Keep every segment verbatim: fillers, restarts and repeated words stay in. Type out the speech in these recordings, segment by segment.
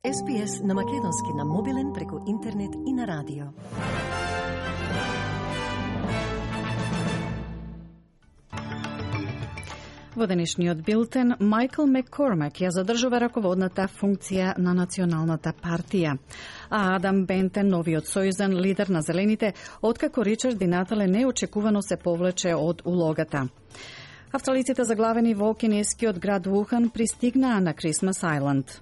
Ес Би Ес на македонски на мобилен преку интернет и на радио. Во денешниот билтен, Майкл Маккормак ја задржува раководната функција на Националната партија, а Адам Бентен, новиот сојузен лидер на Зелените, откако Ричард Ди Натале неочекувано се повлече од улогата. Австралиците заглавени во кинескиот град Вухан пристигнаа на Крисмас Ајланд.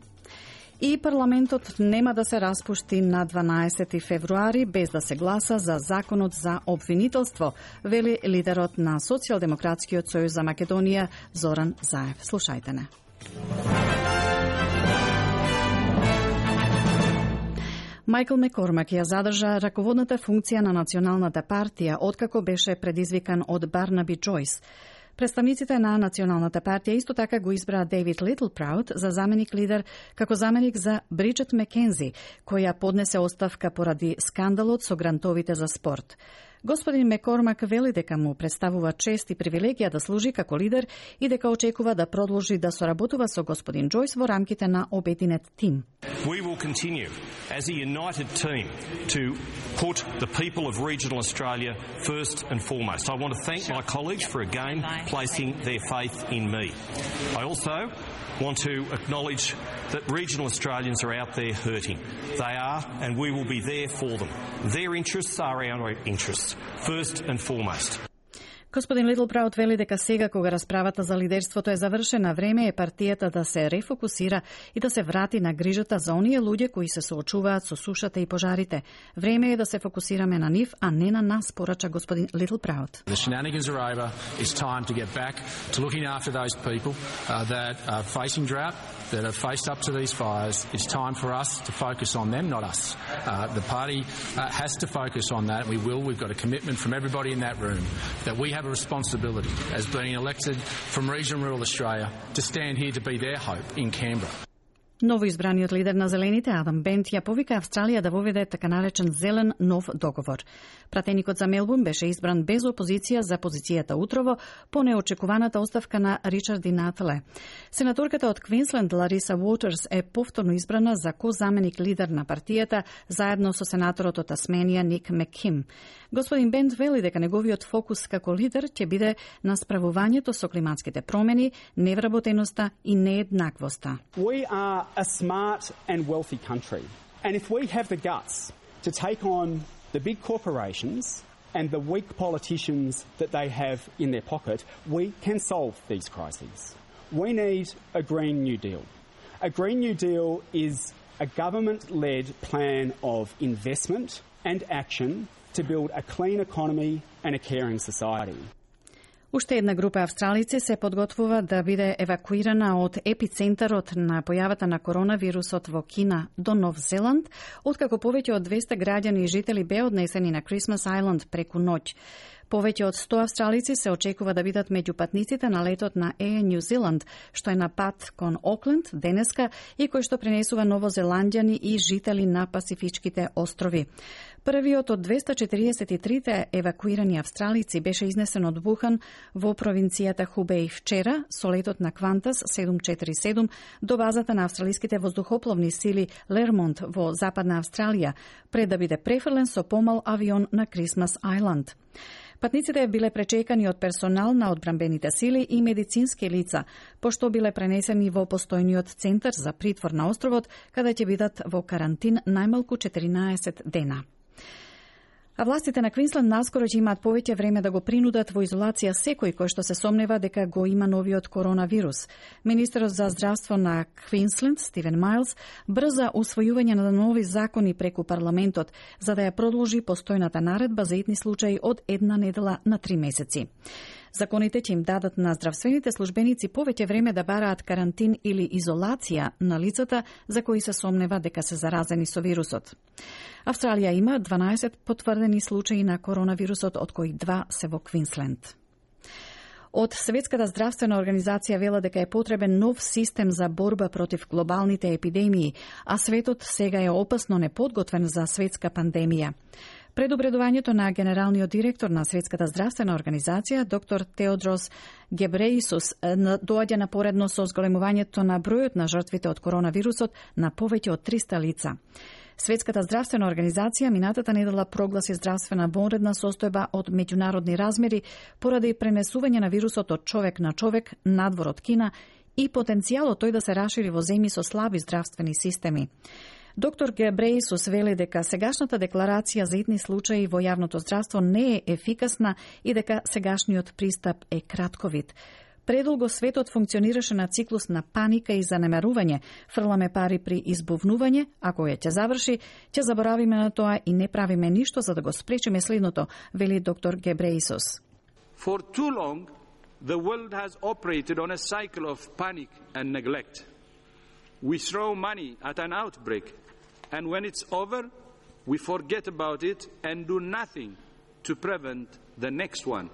И парламентот нема да се распушти на дванаесети февруари без да се гласа за законот за обвинителство, вели лидерот на Социјалдемократскиот сојуз за Македонија Зоран Заев. Слушајте не. Майкл Маккормак ја задржа раководната функција на Националната партија откако беше предизвикан од Барнаби Џојс. Представниците на Националната партија исто така го избраа Дейвид Литлпраут за заменик лидер како заменик за Бриджет Маккензи, која поднесе оставка поради скандалот со грантовите за спорт. Господин Маккормак вели дека му представува чест и привилегија да служи како лидер и дека очекува да продолжи да соработува со господин Џојс во рамките на обединет тим. We will continue as a united team to put the people of regional Australia first and foremost. I want to thank my colleagues for again placing their faith in me. I also want to acknowledge that regional Australians are out there hurting. They are, and we will be there for them. Their interests are our interests, first and foremost. Господин Литлпраут вели дека сега кога расправата за лидерството е завршена, време е партијата да се рефокусира и да се врати на грижата за оние луѓе кои се соочуваат со сушата и пожарите. Време е да се фокусираме на нив, а не на нас, порача господин Литлпраут. The shenanigans are over. It's time to get back to looking after those people uh, that are facing drought, that have faced up to these fires. It's time for us to focus on them, not us. Uh, the party uh, has to focus on that. We will. We've got a commitment from everybody in that room that we have a responsibility as being elected from regional rural Australia to stand here to be their hope in Canberra. Новоизбраниот лидер на Зелените, Адам Бент, ја повика Австралија да воведе така наречен зелен нов договор. Пратеникот за Мелбурн беше избран без опозиција за позицијата утрово по неочекуваната оставка на Ричард Ди Натале. Сенаторката од Квинсленд Лариса Уотерс е повторно избрана за ко-заменик лидер на партијата заедно со сенаторот од Тасменија Ник Макким. Господин Бент вели дека неговиот фокус како лидер ќе биде на справувањето со климатските промени, невработеноста и нееднаквоста. We are a smart and wealthy country. And if we have the guts to take on the big corporations and the weak politicians that they have in their pocket, we can solve these crises. We need a Green New Deal. A Green New Deal is a government-led plan of investment and action to build a clean economy and a caring society. Уште една група австралици се подготвува да биде евакуирана од епицентарот на појавата на коронавирусот во Кина до Нов Зеланд, откако повеќе од двесте граѓани и жители беа однесени на Крисмас Ајланд преку ноќ. Повеќе од сто австралици се очекува да бидат меѓу патниците на летот на Air New Zealand, што е на пат кон Окленд денеска и кој што пренесува новозеландјани и жители на Пасифичките острови. Првиот од двесте четириесет и трите евакуирани австралици беше изнесен од Вухан во провинцијата Хубеј вчера со летот на Квантас седум четири седум до базата на австралиските воздухопловни сили Лермонт во Западна Австралија, пред да биде префрлен со помал авион на Крисмас Ајланд. Патниците биле пречекани од персонал на одбранбените сили и медицински лица, пошто биле пренесени во постојниот центар за притвор на островот, каде ќе бидат во карантин најмалку четиринаесет дена. А властите на Квинсленд наскоро ќе имаат повеќе време да го принудат во изолација секој кој што се сомнева дека го има новиот коронавирус. Министерот за здравство на Квинсленд, Стивен Мајлс, брза усвојување на нови закони преку парламентот, за да ја продолжи постојната наредба за итни случаи од една недела на три месеци. Законите ќе им дадат на здравствените службеници повеќе време да бараат карантин или изолација на лицата за кои се сомнева дека се заразени со вирусот. Австралија има дванаесет потврдени случаи на коронавирусот, од кои два се во Квинсленд. Од Светската здравствена организација вела дека е потребен нов систем за борба против глобалните епидемии, а светот сега е опасно неподготвен за светска пандемија. Предупредувањето на генералниот директор на Светската здравствена организација, доктор Теодрос Гебреисус, доаѓа напоредно со зголемувањето на бројот на жртвите од коронавирусот на повеќе од триста лица. Светската здравствена организација минатата недела прогласи здравствена вонредна состојба од меѓународни размери поради пренесување на вирусот од човек на човек надвор од Кина и потенцијалот тој да се рашири во земји со слаби здравствени системи. Доктор Гебреисус вели дека сегашната декларација за итни случаи во јавното здравство не е ефикасна и дека сегашниот пристап е кратковид. Предолго светот функционираше на циклус на паника и занемарување. Фрламе пари при избувнување, а кога ќе заврши, ќе заборавиме на тоа и не правиме ништо за да го спречиме следното, вели доктор Гебреисус. For too long, the world has operated on a cycle of panic and neglect. We throw money at an outbreak, and when it's over, we forget about it and do nothing to prevent the next one.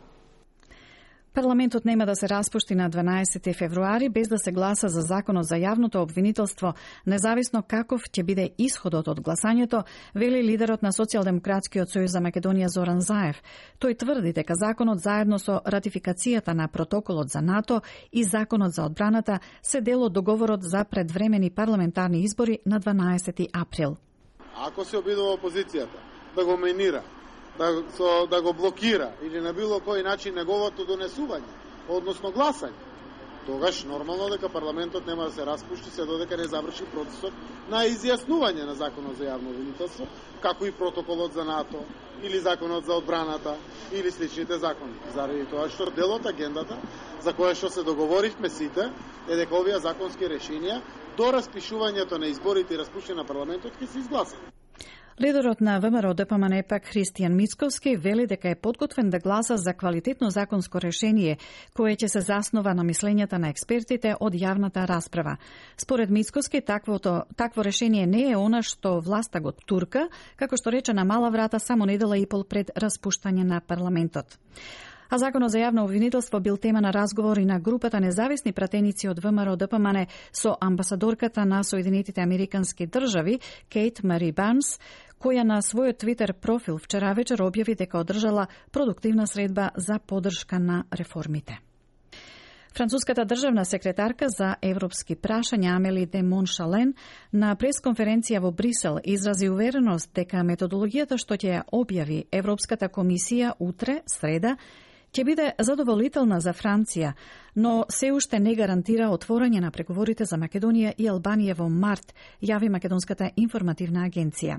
Парламентот нема да се распушти на дванаесети февруари без да се гласа за законот за јавното обвинителство, независно каков ќе биде исходот од гласањето, вели лидерот на Социјалдемократскиот сојуз за Македонија Зоран Заев. Тој тврди дека законот заедно со ратификацијата на протоколот за НАТО и законот за одбраната се дел од договорот за предвремени парламентарни избори на дванаесети април. Ако се обидува опозицијата да го менира, да, со, да го блокира или на било кој начин неговото донесување, односно гласање, тогаш нормално дека парламентот нема да се распушти се додека не заврши процесот на изјаснување на законот за јавно обвинителство, како и протоколот за НАТО или законот за одбраната или сличните закони. Заради тоа што дел од агендата за која што се договоривме сите е дека овие законски решенија до распишувањето на изборите и распуштање на парламентот ќе се изгласат. Лидерот на ВМРО Д П М Н Е П А К Христијан Мицковски вели дека е подготвен да гласа за квалитетно законско решение кое ќе се заснова на мислењата на експертите од јавната расправа. Според Мицковски, таквото, такво решение не е она што власта го турка, како што рече на мала врата само недела и пол пред распуштање на парламентот. А законот за јавно обвинителство бил тема на разговори на групата независни пратеници од ВМРО Д П М Н Е со амбасадорката на Соединетите Американски држави Кейт Мари Барнс, која на својот Твитер профил вчера вечер објави дека одржала продуктивна средба за поддршка на реформите. Француската државна секретарка за европски прашања Амели де Моншален на пресконференција во Брисел изрази увереност дека методологијата што ќе ја објави Европската комисија утре, среда, ќе биде задоволителна за Франција, но се уште не гарантира отворање на преговорите за Македонија и Албанија во март, јави Македонската информативна агенција.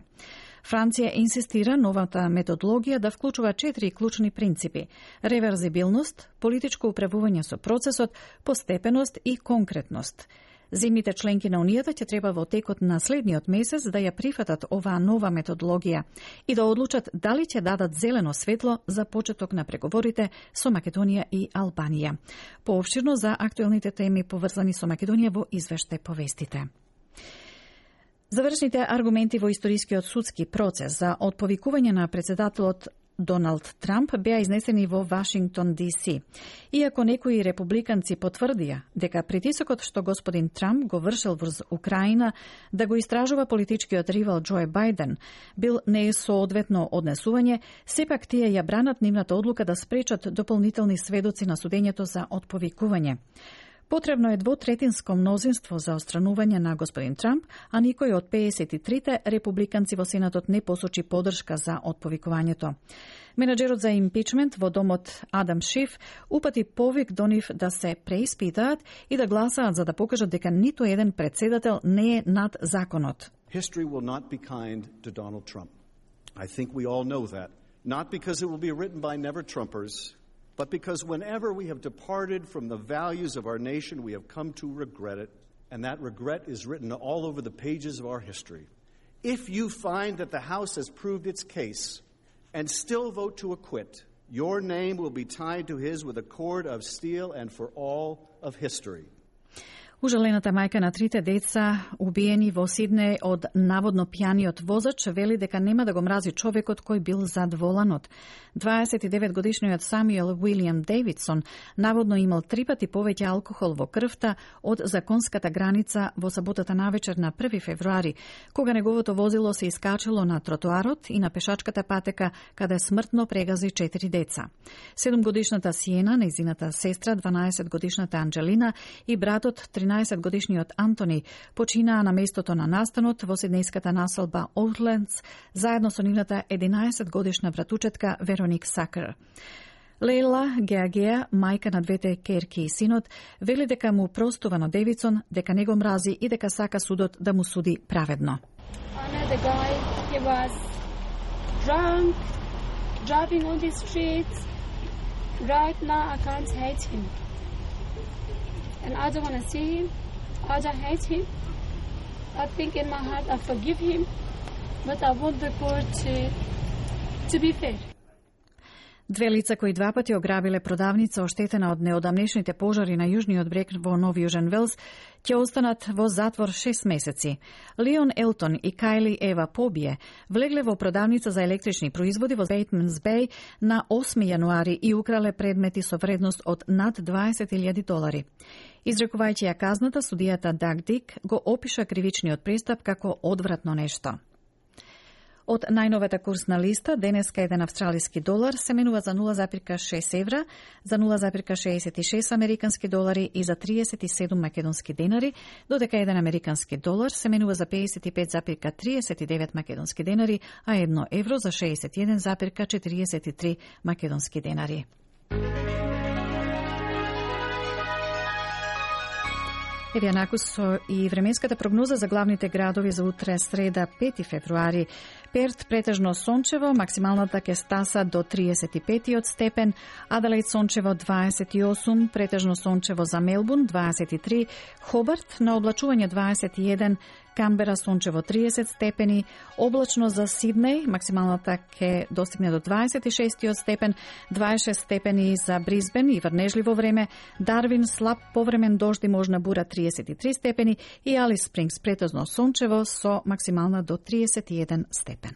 Франција инсистира новата методологија да вклучува четири клучни принципи: реверзибилност, политичко управување со процесот, постепеност и конкретност. Земјите членки на Унијата ќе треба во текот на следниот месец да ја прифатат оваа нова методологија и да одлучат дали ќе дадат зелено светло за почеток на преговорите со Македонија и Албанија. Поопширно за актуелните теми поврзани со Македонија во извештај повестите. Завршните аргументи во историскиот судски процес за отповикување на председателот Доналд Трамп беа изнесени во Вашингтон Ди Си. Иако некои републиканци потврдија дека притисокот што господин Трамп го вршил врз Украина да го истражува политичкиот ривал Џо Бајден бил несоодветно однесување, сепак тие ја бранат нивната одлука да спречат дополнителни сведоци на судењето за отповикување. Потребно е двотретинско мнозинство за отстранување на господин Трамп, а никој од педесет и трите републиканци во Сенатот не посочи поддршка за отповикувањето. Менаџерот за импичмент во домот Адам Шиф упати повик до нив да се преиспитаат и да гласаат за да покажат дека ниту еден претседател не е над законот. History will not be kind to Donald Trump. I think we all know that. Not because it will be written by never-Trumpers, but because whenever we have departed from the values of our nation, we have come to regret it, and that regret is written all over the pages of our history. If you find that the House has proved its case and still vote to acquit, your name will be tied to his with a cord of steel and for all of history. Ужалената мајка на трите деца, убиени во Сиднеј од наводно пијаниот возач, вели дека нема да го мрази човекот кој бил зад воланот. дваесет и девет годишниот Самуел Уилијам Дейвидсон наводно имал три пати повеќе алкохол во крвта од законската граница во саботата навечер на први февруари, кога неговото возило се искачало на тротоарот и на пешачката патека, каде смртно прегази четири деца. седумгодишната Сиена, нејзината сестра, дванаесетгодишната Анджелина и братот тринаесетгодишниот Антони починаа на местото на настанот во сиднејската населба Оутлендс, заедно со нивната единаесетгодишна братучетка Вероник Сакер. Лейла Геагеа, мајка на двете керки и синот, вели дека му простува на Девидсон, дека не го мрази и дека сака судот да му суди праведно. Another guy, he was drunk, driving on the streets. Right now, I can't hate him. And I don't want to see him. I don't hate him. I think in my heart I forgive him. But I want the court to, to be fair. Две лица кои два пати ограбиле продавница оштетена од неодамнешните пожари на јужниот брег во Нов Јужен Велс ќе останат во затвор шест месеци. Леон Елтон и Кайли Ева Побие влегле во продавница за електрични производи во Бейтманс Беј на осми јануари и украле предмети со вредност од над дваесет илјади долари. Изрекувајќи ја казната, судијата Даг Дик го опиша кривичниот пристап како одвратно нешто. Од најновата курсна листа, денеска еден австралиски долар се менува за нула зарез шест евра, за нула зарез шеесет и шест американски долари и за триесет и седум македонски денари, додека еден американски долар се менува за пеесет и пет зарез триесет и девет македонски денари, а едно евро за шеесет и еден зарез четириесет и три македонски денари. Еве накус со и временската прогноза за главните градови за утре среда пети февруари. Перт претежно сончево, максималната ќе стаса до триесет и пет степен, Аделаид сончево дваесет и осум, претежно сончево за Мелбурн дваесет и три, Хобарт на облачување дваесет и еден, Камбера сончево триесет степени, облачно за Сиднеј, максималната ќе достигне до дваесет и шест степен, дваесет и шест степени за Брисбен и врнежливо време, Дарвин слаб повремен дожд и можна бура триесет и три степени и Алис Спрингс претежно сончево со максимална до триесет и еден степен.